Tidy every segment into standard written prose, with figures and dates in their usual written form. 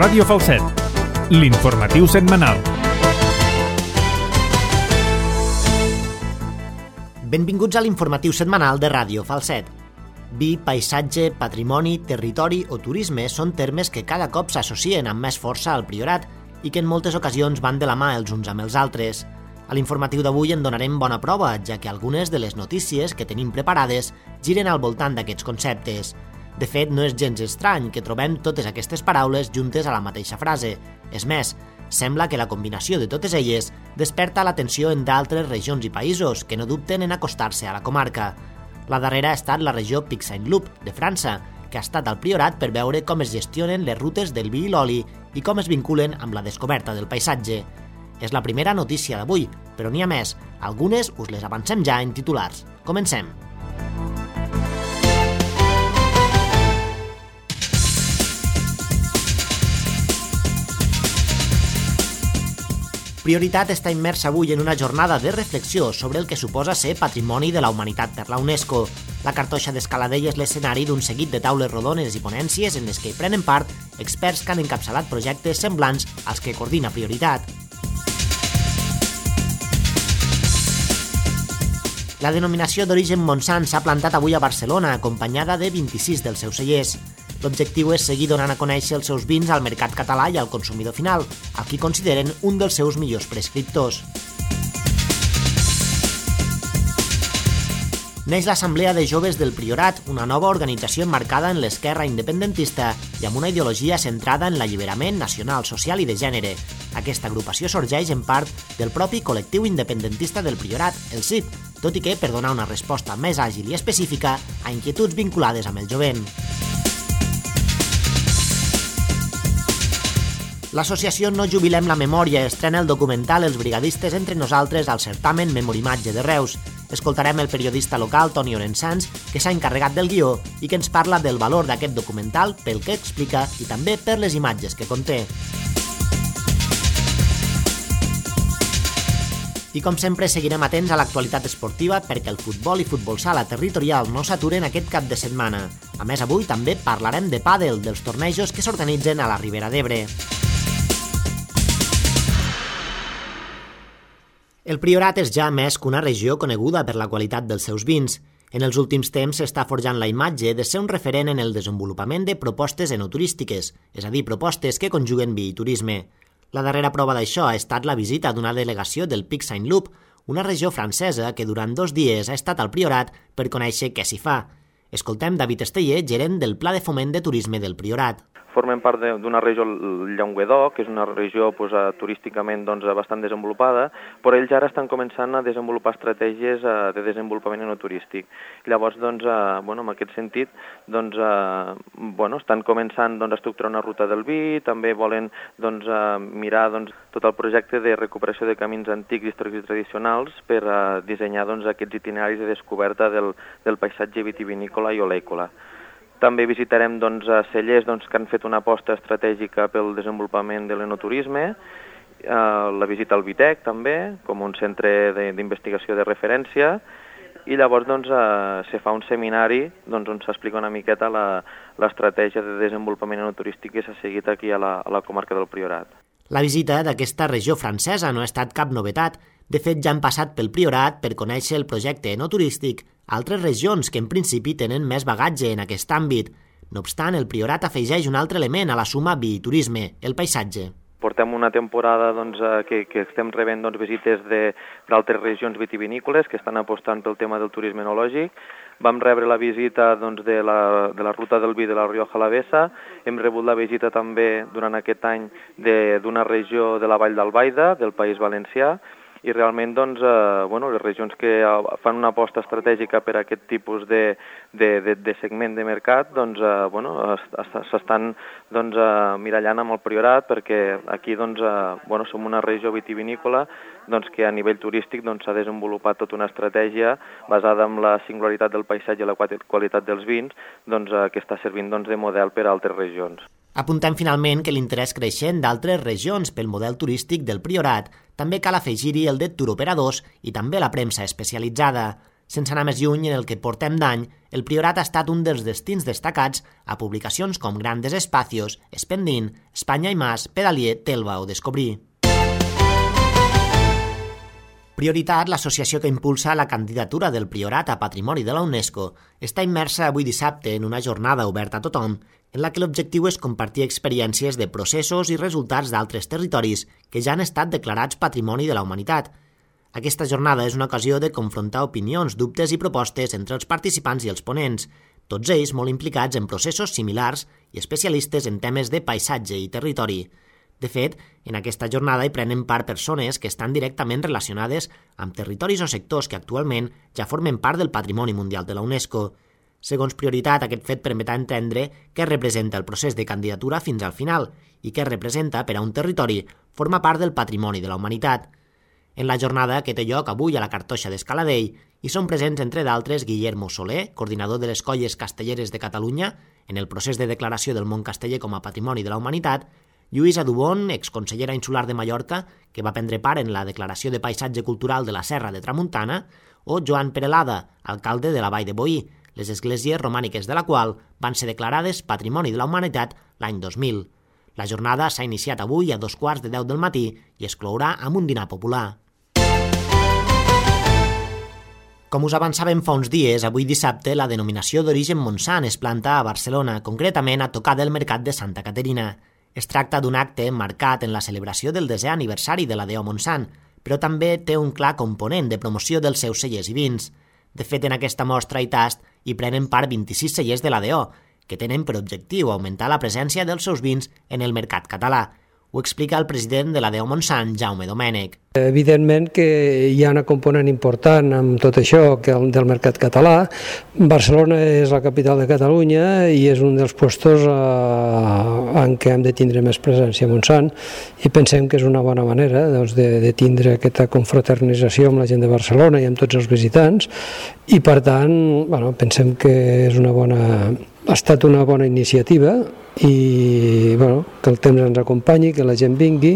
Ràdio Falset, l'informatiu setmanal. Benvinguts a l'informatiu setmanal de Ràdio Falset. Vi, paisatge, patrimoni, territori o turisme són termes que cada cop s'associen amb més força al Priorat i que en moltes ocasions van de la mà els uns amb els altres. A l'informatiu d'avui en donarem bona prova, ja que algunes de les notícies que tenim preparades giren al voltant d'aquests conceptes. De fet, no és gens estrany que trobem totes aquestes paraules juntes a la mateixa frase. És més, sembla que la combinació de totes elles desperta l'atenció en d'altres regions i països que no dubten en acostar-se a la comarca. La darrera ha estat la regió Pic-Saint-Loup, de França, que ha estat al Priorat per veure com es gestionen les rutes del vi i l'oli i com es vinculen amb la descoberta del paisatge. És la primera notícia d'avui, però n'hi ha més. Algunes us les avancem ja en titulars. Comencem. Prioritat està immersa avui en una jornada de reflexió sobre el que suposa ser Patrimoni de la Humanitat per la UNESCO. La Cartoixa d'Escaladell és l'escenari d'un seguit de taules rodones i ponències en les que hi prenen part experts que han encapçalat projectes semblants als que coordina Prioritat. La denominació d'origen Montsant s'ha plantat avui a Barcelona, acompanyada de 26 dels seus cellers. L'objectiu és seguir donant a conèixer els seus vins al mercat català i al consumidor final, al qui consideren un dels seus millors prescriptors. Neix l'Assemblea de Joves del Priorat, una nova organització emmarcada en l'esquerra independentista i amb una ideologia centrada en l'alliberament nacional, social i de gènere. Aquesta agrupació sorgeix en part del propi col·lectiu independentista del Priorat, el CIP, tot i que per donar una resposta més àgil i específica a inquietuds vinculades amb el jovent. L'associació No Jubilem la Memòria estrena el documental Els brigadistes entre nosaltres al certamen Memorimatge de Reus. Escoltarem el periodista local Toni Orensans, que s'ha encarregat del guió i que ens parla del valor d'aquest documental pel que explica i també per les imatges que conté. I com sempre seguirem atents a l'actualitat esportiva perquè el futbol i futbol sala territorial no s'aturen aquest cap de setmana. A més, avui també parlarem de pàdel, dels tornejos que s'organitzen a la Ribera d'Ebre. El Priorat és ja més que una regió coneguda per la qualitat dels seus vins. En els últims temps s'està forjant la imatge de ser un referent en el desenvolupament de propostes enoturístiques, és a dir, propostes que conjuguen vi i turisme. La darrera prova d'això ha estat la visita d'una delegació del Pic-Saint-Loup, una regió francesa que durant 2 dies ha estat al Priorat per conèixer què s'hi fa. Escoltem David Esteller, gerent del Pla de Foment de Turisme del Priorat. Formem part d'una regió, el Llenguadoc, que és una regió turísticament bastant desenvolupada, però ells ara estan començant a desenvolupar estratègies de desenvolupament enoturístic. Llavors, en aquest sentit, estan començant a estructurar una ruta del vi, també volen mirar tot el projecte de recuperació de camins antics, històrics i tradicionals per dissenyar aquests itineraris de descoberta del paisatge vitivinícola i olèicola. També visitarem cellers que han fet una aposta estratègica pel desenvolupament de l'enoturisme, la visita al Vitec també, com un centre d'investigació de referència, i llavors se fa un seminari on s'explica una miqueta l'estratègia de desenvolupament enoturístic que s'ha seguit aquí a la comarca del Priorat. La visita d'aquesta regió francesa no ha estat cap novetat. De fet, ja han passat pel Priorat per conèixer el projecte enoturístic altres regions que en principi tenen més bagatge en aquest àmbit. No obstant, el Priorat afegeix un altre element a la suma vi i turisme, el paisatge. Portem una temporada que estem rebent visites d'altres regions vitivinícoles que estan apostant pel tema del turisme enològic. Vam rebre la visita de la ruta del vi de la Rioja Alavesa, hem rebut la visita també durant aquest any d'una regió de la Vall d'Albaida, del País Valencià, i realment les regions que fan una aposta estratègica per aquest tipus de segment de mercat s'estan mirallant amb el Priorat perquè aquí som una regió vitivinícola que a nivell turístic s'ha desenvolupat tota una estratègia basada en la singularitat del paisatge i la qualitat dels vins que està servint de model per a altres regions. Apuntem finalment que l'interès creixent d'altres regions pel model turístic del Priorat també cal afegir-hi el de turoperadors i també la premsa especialitzada. Sense anar més lluny, en el que portem d'any, el Priorat ha estat un dels destins destacats a publicacions com Grandes Espacios, Espendín, Espanya i Más, Pedalier, Telva o Descobrir. Prioritat, l'associació que impulsa la candidatura del Priorat a Patrimoni de la UNESCO, està immersa avui dissabte en una jornada oberta a tothom, en la que l'objectiu és compartir experiències de processos i resultats d'altres territoris que ja han estat declarats Patrimoni de la Humanitat. Aquesta jornada és una ocasió de confrontar opinions, dubtes i propostes entre els participants i els ponents, tots ells molt implicats en processos similars i especialistes en temes de paisatge i territori. De fet, en aquesta jornada hi prenen part persones que estan directament relacionades amb territoris o sectors que actualment ja formen part del Patrimoni Mundial de la UNESCO. Segons Prioritat, aquest fet permetrà entendre què representa el procés de candidatura fins al final i què representa per a un territori formar part del Patrimoni de la Humanitat. En la jornada, que té lloc avui a la Cartoixa d'Escaladell, hi són presents, entre d'altres, Guillermo Soler, coordinador de les Colles Castelleres de Catalunya, en el procés de declaració del món casteller com a Patrimoni de la Humanitat, Lluïsa Dubón, exconsellera insular de Mallorca, que va prendre part en la Declaració de Paisatge Cultural de la Serra de Tramuntana, o Joan Perelada, alcalde de la Vall de Boí, les esglésies romàniques de la qual van ser declarades Patrimoni de la Humanitat l'any 2000. La jornada s'ha iniciat avui a 2:15 del matí i es clourà amb un dinar popular. Com us avançàvem fa uns dies, avui dissabte la denominació d'origen Montsant es planta a Barcelona, concretament a tocar del Mercat de Santa Caterina. Es tracta d'un acte marcat en la celebració del 10è aniversari de la Deo Montsant, però també té un clar component de promoció dels seus cellers i vins. De fet, en aquesta mostra i tast hi prenen part 26 cellers de la Deo, que tenen per objectiu augmentar la presència dels seus vins en el mercat català. Ho explica el president de la Deo Montsant, Jaume Domènech. Evidentment que hi ha una component important amb tot això del mercat català. Barcelona és la capital de Catalunya i és un dels puestos en què hem de tindre més presència a Montsant i pensem que és una bona manera de tindre aquesta confraternització amb la gent de Barcelona i amb tots els visitants i per tant pensem que ha estat una bona iniciativa i que el temps ens acompanyi, que la gent vingui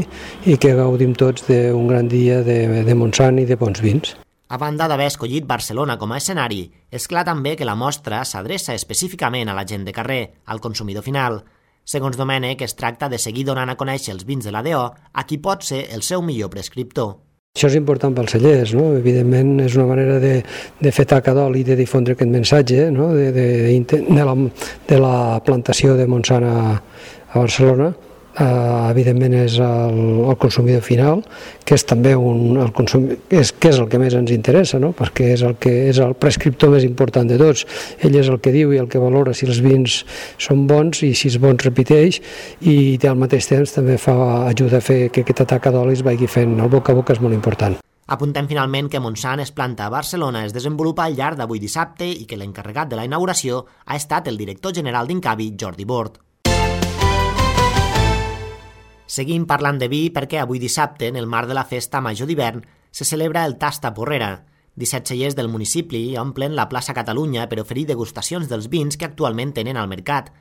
i que gaudim tots d'un gran dia de Montsant i de bons vins. A banda d'haver escollit Barcelona com a escenari, és clar també que la mostra s'adreça específicament a la gent de carrer, al consumidor final. Segons Domènech, es tracta de seguir donant a conèixer els vins de la DO a qui pot ser el seu millor prescriptor. Això és important pels cellers, no? Evidentment és una manera de fer taca d'oli i de difondre aquest missatge, no? de la plantació de Montsant a Barcelona. Evidentment és el consumidor final, que és també que és el que més ens interessa, no? Perquè és el prescriptor més important de tots. Ell és el que diu i el que valora si els vins són bons i si els bons repeteix i al mateix temps també ajuda a fer que aquesta taca d'olis vagi fent el boca a boca, és molt important. Apuntem finalment que Montsant es planta a Barcelona es desenvolupa al llarg d'avui dissabte i que l'encarregat de la inauguració ha estat el director general d'Incavi, Jordi Bort. Seguim parlant de vi perquè avui dissabte, en el marc de la festa major d'hivern, se celebra el Tasta Porrera. 17 cellers del municipi omplen la plaça Catalunya per oferir degustacions dels vins que actualment tenen al mercat.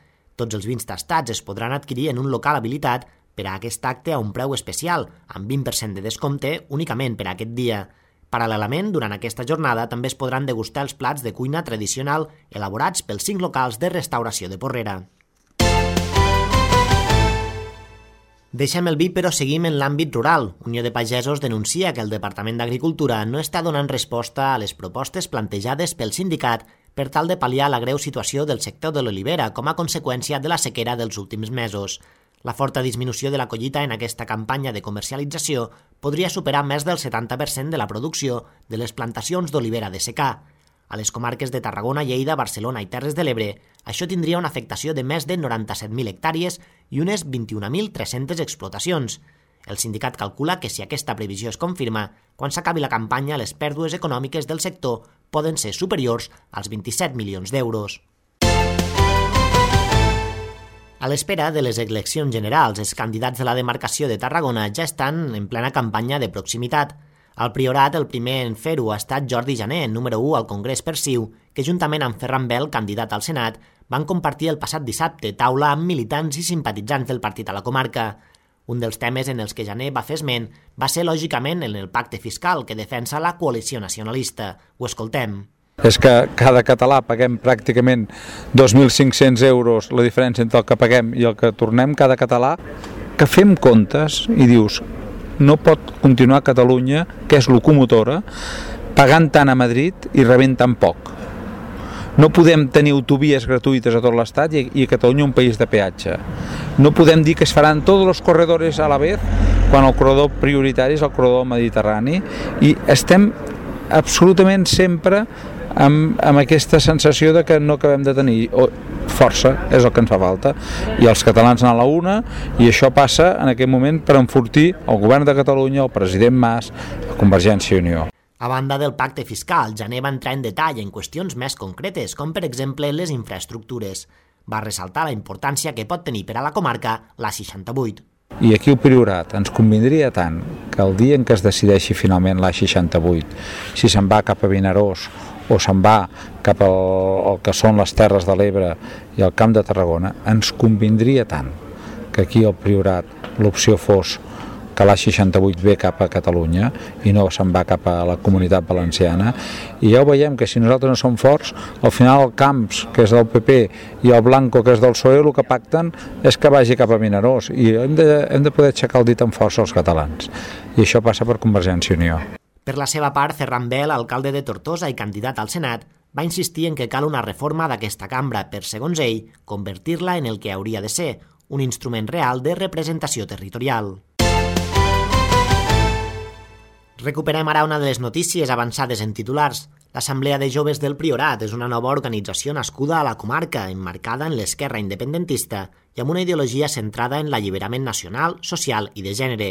Tots els vins tastats es podran adquirir en un local habilitat per a aquest acte a un preu especial, amb 20% de descompte únicament per a aquest dia. Paral·lelament, durant aquesta jornada també es podran degustar els plats de cuina tradicional elaborats pels 5 locals de restauració de Porrera. Deixem el vi, però seguim en l'àmbit rural. Unió de Pagesos denuncia que el Departament d'Agricultura no està donant resposta a les propostes plantejades pel sindicat per tal de pal·liar la greu situació del sector de l'olivera com a conseqüència de la sequera dels últims mesos. La forta disminució de la collita en aquesta campanya de comercialització podria superar més del 70% de la producció de les plantacions d'olivera de secà. A les comarques de Tarragona, Lleida, Barcelona i Terres de l'Ebre, això tindria una afectació de més de 97.000 hectàrees i unes 21.300 explotacions. El sindicat calcula que si aquesta previsió es confirma, quan s'acabi la campanya les pèrdues econòmiques del sector poden ser superiors als 27 milions d'euros. A l'espera de les eleccions generals, els candidats de la demarcació de Tarragona ja estan en plena campanya de proximitat. Al Priorat, el primer en fer-ho ha estat Jordi Jané, número 1 al Congrés per CiU, que juntament amb Ferran Bel, candidat al Senat, van compartir el passat dissabte taula amb militants i simpatitzants del partit a la comarca. Un dels temes en els que Jané va fer esment va ser, lògicament, en el pacte fiscal que defensa la coalició nacionalista. Ho escoltem. És que cada català paguem pràcticament 2.500 euros, la diferència entre el que paguem i el que tornem cada català, que fem comptes i dius, no pot continuar Catalunya, que és locomotora, pagant tant a Madrid i rebent tan poc. No podem tenir autovies gratuïtes a tot l'Estat i a Catalunya un país de peatge. No podem dir que es faran tots els corredors a la vez quan el corredor prioritari és el corredor mediterrani i estem absolutament sempre amb aquesta sensació de que no acabem de tenir força, és el que ens fa falta, i els catalans anar a la una, i això passa en aquest moment per enfortir el govern de Catalunya, el president Mas, la Convergència i Unió. A banda del pacte fiscal, Jané va entrar en detall en qüestions més concretes, com per exemple les infraestructures. Va ressaltar la importància que pot tenir per a la comarca l'A68. I aquí el Priorat ens convindria tant que el dia en què es decideixi finalment l'A68, si se'n va cap a Vinaròs o se'n va cap al que són les Terres de l'Ebre i el Camp de Tarragona, ens convindria tant que aquí al Priorat l'opció fos que l'A68 ve cap a Catalunya i no se'n va cap a la Comunitat Valenciana, i ja ho veiem que si nosaltres no som forts, al final el Camps, que és del PP, i el Blanco, que és del PSOE, el que pacten és que vagi cap a Vinaròs, i hem de poder aixecar el dit amb força als catalans, i això passa per Convergència i Unió. Per la seva part, Ferran Bel, alcalde de Tortosa i candidat al Senat, va insistir en que cal una reforma d'aquesta cambra per, segons ell, convertir-la en el que hauria de ser, un instrument real de representació territorial. Recuperem ara una de les notícies avançades en titulars. L'Assemblea de Joves del Priorat és una nova organització nascuda a la comarca, emmarcada en l'esquerra independentista i amb una ideologia centrada en l'alliberament nacional, social i de gènere.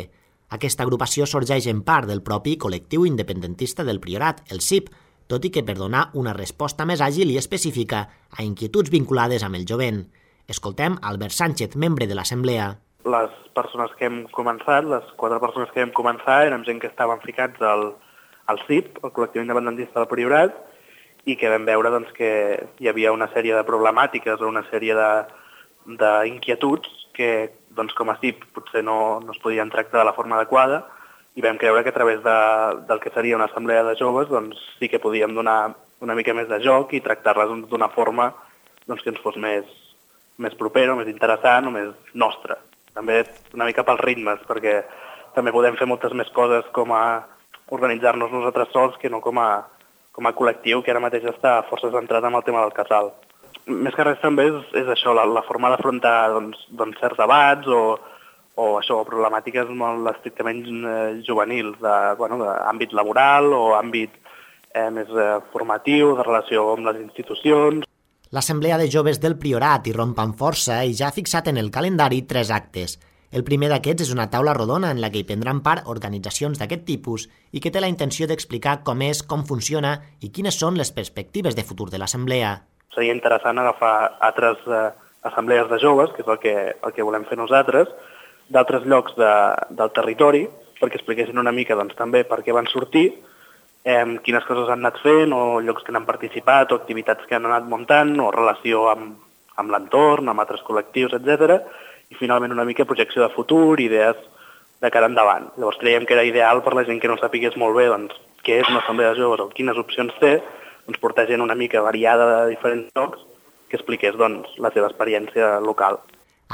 Aquesta agrupació sorgeix en part del propi col·lectiu independentista del Priorat, el CIP, tot i que per donar una resposta més àgil i específica a inquietuds vinculades amb el jovent. Escoltem Albert Sánchez, membre de l'Assemblea. Les persones que hem començat, les 4 persones que hem començat, érem gent que estaven ficats al CIP, el col·lectiu independentista del Priorat, i que vam veure doncs, que hi havia una sèrie de problemàtiques o una sèrie d'inquietuds que doncs, com a CIP potser no es podien tractar de la forma adequada, i vam creure que a través del que seria una assemblea de joves doncs, sí que podíem donar una mica més de joc i tractar-les d'una forma doncs, que ens fos més propera, més interessant o més nostra. També una mica pels ritmes, perquè també podem fer moltes més coses com a organitzar-nos nosaltres sols que no com a col·lectiu, que ara mateix està força centrat en el tema del casal. Més que res també és això, la forma d'afrontar doncs, certs debats o això, problemàtiques molt estrictament juvenils, d'àmbit laboral o àmbit més formatiu, de relació amb les institucions. L'Assemblea de Joves del Priorat hi romp amb força i ja ha fixat en el calendari 3 actes. El primer d'aquests és una taula rodona en la que hi prendran part organitzacions d'aquest tipus i que té la intenció d'explicar com és, com funciona i quines són les perspectives de futur de l'Assemblea. Seria interessant agafar altres assemblees de joves, que és el que volem fer nosaltres, d'altres llocs del territori, perquè expliquessin una mica doncs, també per què van sortir, quines coses han anat fent o llocs que han participat o activitats que han anat muntant o relació amb l'entorn, amb altres col·lectius, etc. I finalment una mica projecció de futur, idees de cara endavant. Llavors creiem que era ideal per la gent que no sapigués molt bé doncs, què és una assemblea de joves o quines opcions té, doncs portar gent una mica variada de diferents llocs que expliqués doncs, la seva experiència local.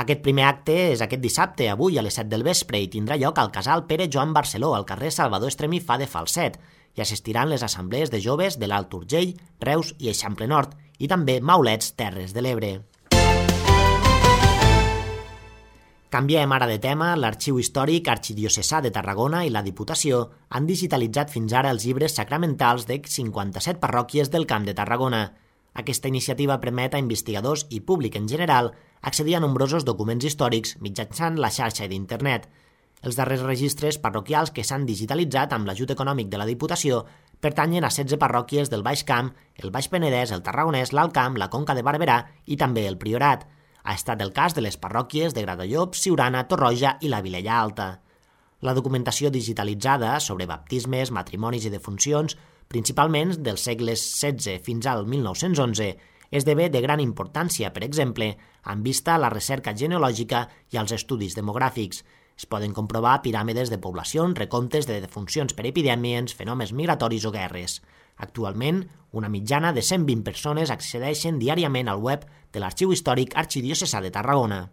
Aquest primer acte és aquest dissabte, avui a les 7 del vespre, i tindrà lloc al casal Pere Joan Barceló, al carrer Salvador Estremifà de Falset. Hi assistiran les assemblees de joves de l'Alt Urgell, Reus i Eixample Nord, i també Maulets, Terres de l'Ebre. Canviem ara de tema. L'Arxiu Històric Arxidiocesà de Tarragona i la Diputació han digitalitzat fins ara els llibres sacramentals de 57 parròquies del Camp de Tarragona. Aquesta iniciativa permet a investigadors i públic en general accedir a nombrosos documents històrics mitjançant la xarxa d'internet. Els darrers registres parroquials que s'han digitalitzat amb l'ajut econòmic de la Diputació pertanyen a 16 parròquies del Baix Camp, el Baix Penedès, el Tarragonès, l'Alt Camp, la Conca de Barberà i també el Priorat. Ha estat el cas de les parròquies de Gratallops, Siurana, Torroja i la Vilella Alta. La documentació digitalitzada sobre baptismes, matrimonis i defuncions, principalment dels segles XVI fins al 1911, esdevé de gran importància, per exemple, amb vista a la recerca genealògica i als estudis demogràfics. Es poden comprovar piràmides de poblacions, recomptes de defuncions per epidèmies, fenòmens migratoris o guerres. Actualment, una mitjana de 120 persones accedeixen diàriament al web de l'Arxiu Històric Arxidiocesà de Tarragona.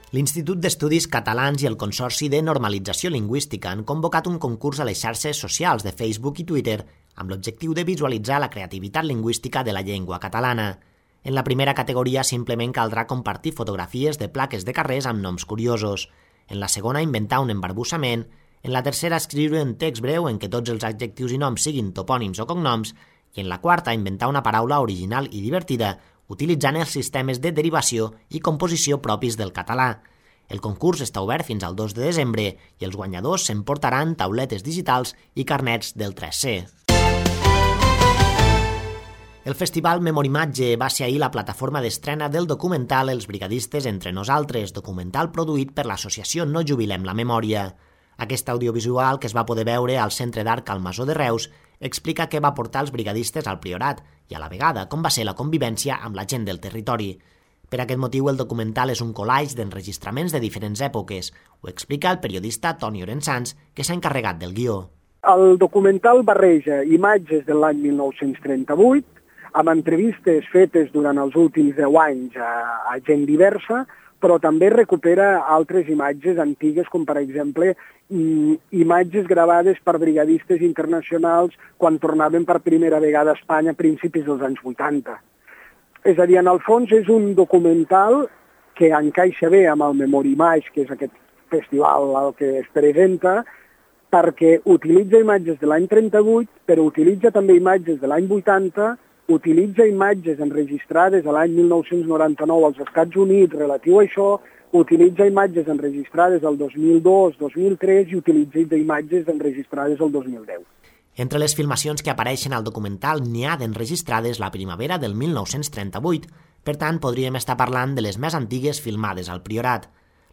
L'Institut d'Estudis Catalans i el Consorci de Normalització Lingüística han convocat un concurs a les xarxes socials de Facebook i Twitter amb l'objectiu de visualitzar la creativitat lingüística de la llengua catalana. En la primera categoria simplement caldrà compartir fotografies de plaques de carrers amb noms curiosos. En la segona, inventar un embarbussament. En la tercera, escriure un text breu en què tots els adjectius i noms siguin topònims o cognoms. I en la quarta, inventar una paraula original i divertida utilitzant els sistemes de derivació i composició propis del català. El concurs està obert fins al 2 de desembre i els guanyadors s'emportaran tauletes digitals i carnets del 3C. El Festival Memorimatge va ser ahir la plataforma d'estrena del documental Els brigadistes entre nosaltres, documental produït per l'associació No Jubilem la Memòria. Aquest audiovisual, que es va poder veure al Centre d'Art al Masó de Reus, explica què va portar els brigadistes al Priorat i a la vegada com va ser la convivència amb la gent del territori. Per aquest motiu, el documental és un collage d'enregistraments de diferents èpoques. Ho explica el periodista Toni Orensans, que s'ha encarregat del guió. El documental barreja imatges de l'any 1938 amb entrevistes fetes durant els últims 10 anys a gent diversa, però també recupera altres imatges antigues, com per exemple imatges gravades per brigadistes internacionals quan tornaven per primera vegada a Espanya a principis dels anys 80. És a dir, en el fons és un documental que encaixa bé amb el Memorimatge, que és aquest festival al que es presenta, perquè utilitza imatges de l'any 38, però utilitza també imatges de l'any 80, utilitza imatges enregistrades a l'any 1999 als Estats Units relatiu a això, utilitza imatges enregistrades al 2002, 2003 i utilitza imatges enregistrades al 2010. Entre les filmacions que apareixen al documental n'hi ha d'enregistrades la primavera del 1938, per tant podríem estar parlant de les més antigues filmades al Priorat.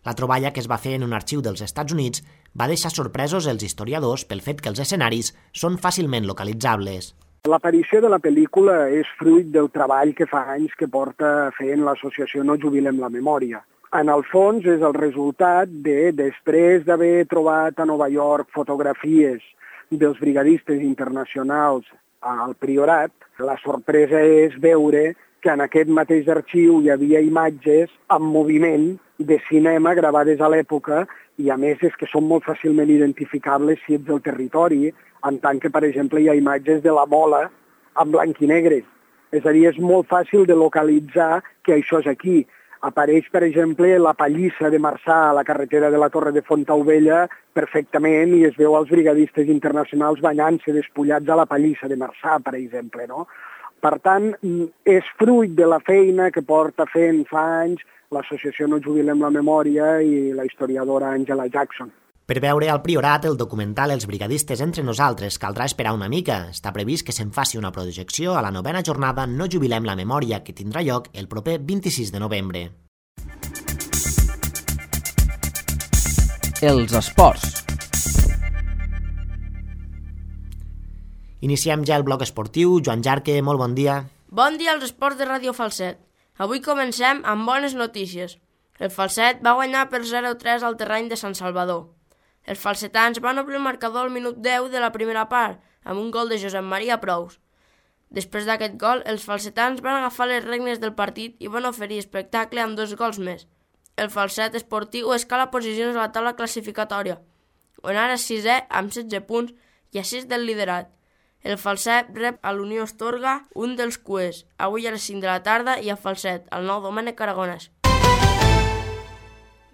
La troballa, que es va fer en un arxiu dels Estats Units, va deixar sorpresos els historiadors pel fet que els escenaris són fàcilment localitzables. L'aparició de la pel·lícula és fruit del treball que fa anys que porta fent l'associació No Jubilem la Memòria. En el fons és el resultat de, després d'haver trobat a Nova York fotografies dels brigadistes internacionals al Priorat, la sorpresa és veure que en aquest mateix arxiu hi havia imatges en moviment de cinema gravades a l'època i a més és que són molt fàcilment identificables si ets del territori, en tant que, per exemple, hi ha imatges de la Mola en blanc i negre. És a dir, és molt fàcil de localitzar que això és aquí. Apareix, per exemple, la pallissa de Marçà a la carretera de la Torre de Fontaubella perfectament i es veu els brigadistes internacionals banyant-se despullats a la pallissa de Marçà, per exemple, no? Per tant, és fruit de la feina que porta fent fa anys l'associació No Jubilem la Memòria i la historiadora Angela Jackson. Per veure al Priorat el documental Els brigadistes entre nosaltres caldrà esperar una mica. Està previst que se'n faci una projecció a la 9a jornada No Jubilem la Memòria, que tindrà lloc el proper 26 de novembre. Els esports. Iniciem ja el bloc esportiu. Joan Jarque, molt bon dia. Bon dia als esports de Ràdio Falset. Avui comencem amb bones notícies. El Falset va guanyar per 0-3 al terreny de Sant Salvador. Els falsetans van obrir el marcador al minut 10 de la primera part, amb un gol de Josep Maria Prous. Després d'aquest gol, els falsetans van agafar les regnes del partit i van oferir espectacle amb 2 gols més. El Falset esportiu escala posicions a la taula classificatòria, on ara és 6è amb 16 punts i a 6 del liderat. El Falset rep a l'Unió Astorga, un dels cuers, avui a les 5 de la tarda i a Falset, al Nou Domènec Aragonès.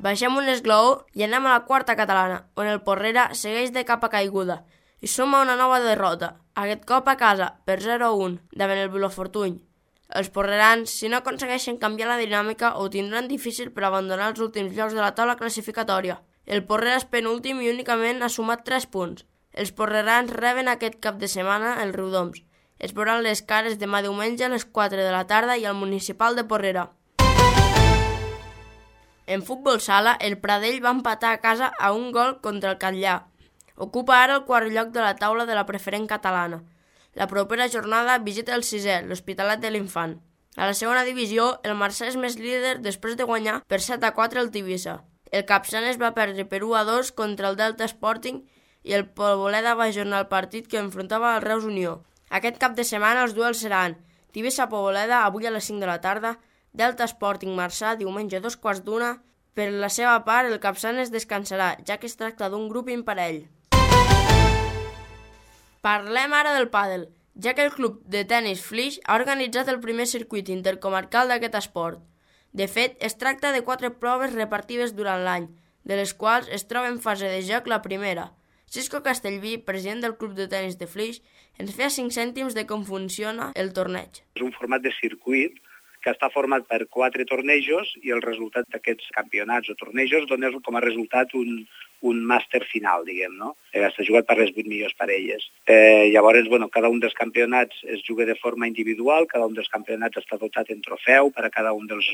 Baixem un esglaó i anem a la quarta catalana, on el Porrera segueix de capa caiguda i suma una nova derrota, aquest cop a casa, per 0-1, davant el Vilafortuny. Els porrerans, si no aconsegueixen canviar la dinàmica, ho tindran difícil per abandonar els últims llocs de la taula classificatòria. El Porrera és penúltim i únicament ha sumat 3 punts. Els porrerans reben aquest cap de setmana el Riudoms. Es veuran les cares demà diumenge a les 4 de la tarda i al Municipal de Porrera. En futbol sala, el Pradell va empatar a casa a un gol contra el Catllà. Ocupa ara el 4è lloc de la taula de la preferent catalana. La propera jornada visita el 6è, l'Hospitalet de l'Infant. A la segona divisió, el Marçà és més líder després de guanyar per 7-4 el Tivissa. El Capçanes va perdre per 1-2 contra el Delta Sporting i el Poboleda va ajornar el partit que enfrontava al Reus Unió. Aquest cap de setmana els duels seran Tivissa Poboleda avui a les 5 de la tarda, Delta Sporting Marçà diumenge a 2:15. Per la seva part, el Capçanes descansarà, ja que es tracta d'un grup imparell. Parlem ara del pàdel, ja que el club de tenis Flix ha organitzat el primer circuit intercomarcal d'aquest esport. De fet, es tracta de 4 proves repartides durant l'any, de les quals es troba en fase de joc la primera. Cisco Castellví, president del club de tenis de Flix, ens feia 5 cèntims de com funciona el torneig. És un format de circuit que està format per 4 tornejos i el resultat d'aquests campionats o tornejos dona com a resultat un màster final, diguem, no? Està jugat per les 8 millors parelles. Llavors, cada un dels campionats es juga de forma individual, cada un dels campionats està dotat en trofeu per a cada un dels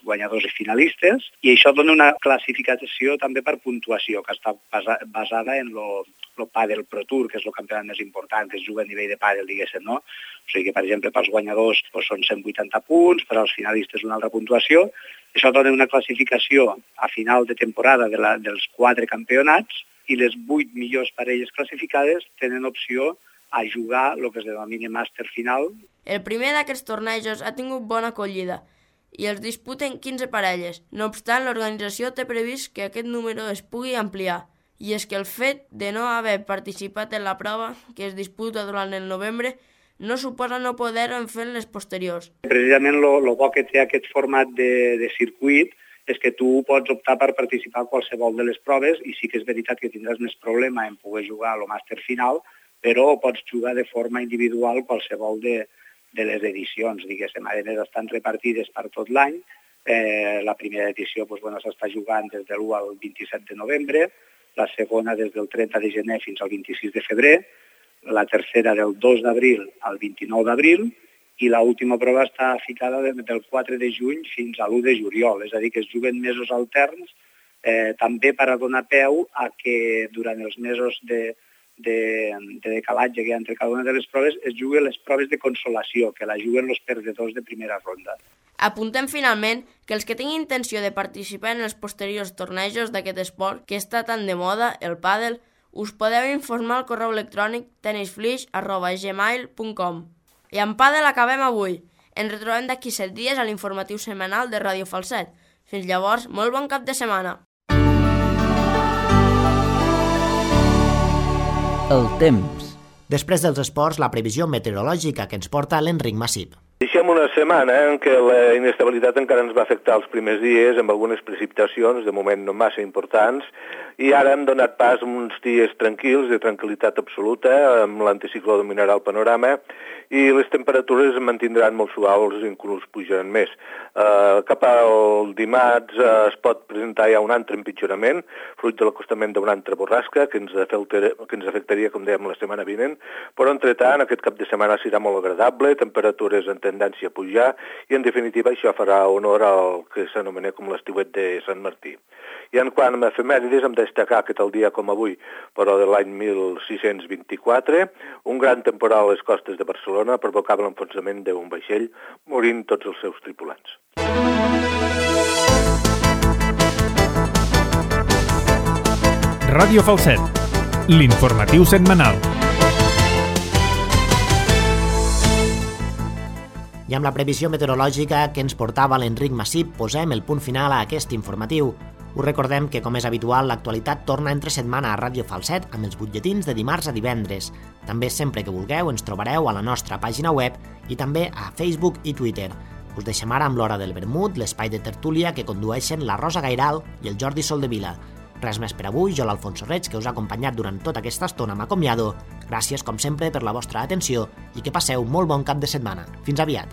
guanyadors i finalistes, i això dona una classificació també per puntuació, que està basada en el Padel Pro Tour, que és el campionat més important, que es juga a nivell de pàdel, diguéssim, no? O sigui que, per exemple, pels guanyadors són 180 punts, per als finalistes una altra puntuació. Això dona una classificació a final de temporada dels 4 campionats i les 8 millors parelles classificades tenen opció a jugar el que es denomina màster final. El primer d'aquests tornejos ha tingut bona acollida i els disputen 15 parelles. No obstant, l'organització té previst que aquest número es pugui ampliar. I és que el fet de no haver participat en la prova, que es disputa durant el novembre, no suposa no poder-ho fer en les posteriors. Precisament el bo que té aquest format de circuit és que tu pots optar per participar a qualsevol de les proves i sí que és veritat que tindràs més problema en poder jugar al màster final, però pots jugar de forma individual qualsevol de les edicions, diguéssim. A més, estan repartides per tot l'any. La primera edició s'està jugant des de l'1 al 27 de novembre, la segona des del 30 de gener fins al 26 de febrer, la tercera del 2 d'abril al 29 d'abril i l'última prova està ficada del 4 de juny fins a l'1 de juliol, és a dir, que es juguen mesos alterns, també per a donar peu a que durant els mesos de decalatge que hi ha entre cada una de les proves es juguen les proves de consolació, que la juguen els perdedors de primera ronda. Apuntem finalment que els que tinguin intenció de participar en els posteriors tornejos d'aquest esport que està tan de moda, el pàdel, us podeu informar al correu electrònic tenisflix@gmail.com. I amb pàdel acabem avui. Ens retrobem d'aquí 7 dies a l'informatiu setmanal de Ràdio Falset. Fins llavors, molt bon cap de setmana. El temps. Després dels esports, la previsió meteorològica que ens porta l'Enric Massip. Deixem una setmana en què la inestabilitat encara ens va afectar els primers dies amb algunes precipitacions, de moment no massa importants, i ara hem donat pas a uns dies tranquils, de tranquil·litat absoluta, amb l'anticicló dominarà el panorama, i les temperatures es mantindran molt suaus, inclús pujaran més. Cap al dimarts es pot presentar ja un altre empitjorament, fruit de l'acostament d'una altra borrasca, que ens afectaria, com dèiem, la setmana vinent, però entretant aquest cap de setmana serà molt agradable, temperatures en tendència a pujar, i en definitiva això farà honor al que s'anomena com l'estiuet de Sant Martí. I en quant a efemèrides, hem de destacar que tal dia com avui, però de l'any 1624, un gran temporal a les costes de Barcelona provocava l'enfonsament d'un vaixell, morint tots els seus tripulants. Ràdio Falset, l'informatiu setmanal. I amb la previsió meteorològica que ens portava l'Enric Massip, posem el punt final a aquest informatiu. Us recordem que, com és habitual, l'actualitat torna entre setmana a Ràdio Falset amb els butlletins de dimarts a divendres. També, sempre que vulgueu, ens trobareu a la nostra pàgina web i també a Facebook i Twitter. Us deixem ara amb l'Hora del Vermut, l'espai de tertúlia que condueixen la Rosa Gairal i el Jordi Soldevila. Res més per avui, jo l'Alfonso Reig, que us ha acompanyat durant tota aquesta estona, m'acomiado. Gràcies, com sempre, per la vostra atenció i que passeu molt bon cap de setmana. Fins aviat!